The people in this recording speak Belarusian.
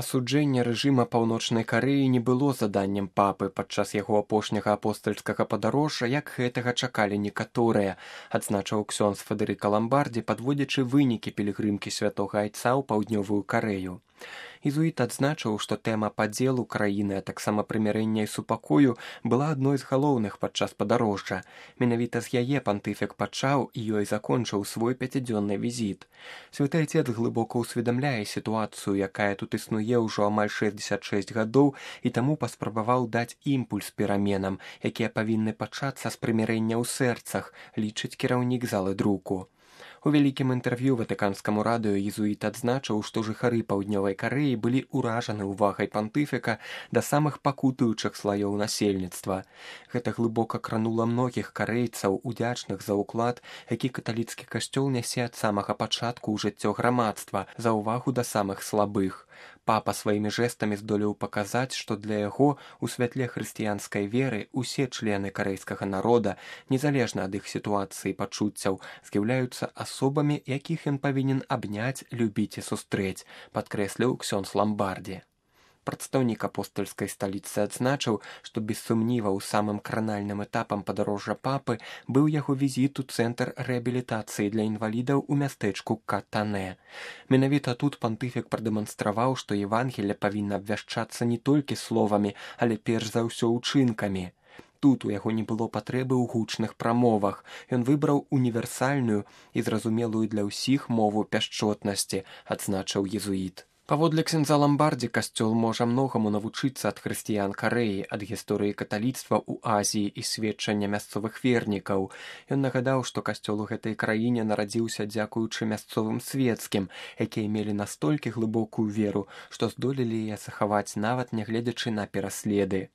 Асуджэнне рэжыма Паўночнай Карэі не было заданнем папы падчас яго апошняга апостальскага падарожжа, як гэтага чакалі некаторыя, адзначыў ксёндз Федэрыка Ламбардзі, падводзячы вынікі пілігрымкі святога айца ў паўднёвую Карэю. Езуіт адзначыў, што тэма падзелу краіны, а таксама прымірэння і супакою была адной з галоўных падчас падарожжа. Менавіта з яе пантыфік пачаў і ёй закончыў свой 5-дзённы візіт. Святы айцец глыбока ўсведамляе сітуацыю, якая тут існуе ўжо амаль 66 гадоў, і таму паспрабаваў даць імпульс пераменам, якія павінны пачацца з прымірэння ў сэрцах, лічыць кіраўнік залы друку. У вялікім інтэрв'ю ватыканскаму радыё езуіт адзначыў, што жыхары паўднёвай Карэі былі ўражаны ўвагай пантыфіка да самых пакутуючых слаёў насельніцтва. Гэта глыбока кранула многіх карэйцаў, удзячных за ўклад, які каталіцкі касцёл нясе ад самага пачатку ў жыццё грамадства, за ўвагу да самых слабых. Папа сваімі жэстамі здолеў паказаць, што для яго у святле хрысціянскай веры ўсе члены карэйскага народа, незалежна ад іх сітуацыі і пачуццяў, з'яўляюцца асобамі, якіх ён павінен абняць, любіць і сустрэць, падкрэсліў ксёндз Ламбардзі. Прадстаўнік апостальскай сталіцы адзначыў, што без сумніваў самым кранальным этапам падарожжа папы быў яго візіт у цэнтр рэабілітацыі для інвалідаў у мястэчку Катанэ. Менавіта тут пантыфік прадэманстраваў, што Евангелле павінна абвяшчацца не толькі словамі, але перш за ўсё ўчынкамі. Тут у яго не было патрэбы ў гучных прамовах. Ён выбраў універсальную і зразумелую для ўсіх мову пяшчотнасці, адзначыў езуіт. Паводле ксяндза Ламбардзі, касцёл можа многаму навучыцца ад хрысціян Карэі, ад гісторыі каталіцтва ў Азіі і сведчання мясцовых вернікаў. Ён нагадаў, што касцёл у гэтай краіне нарадзіўся дзякуючы мясцовым свецкім, якія мелі настолькі глыбокую веру, што здолелі яе захаваць нават нягледзячы на пераследы.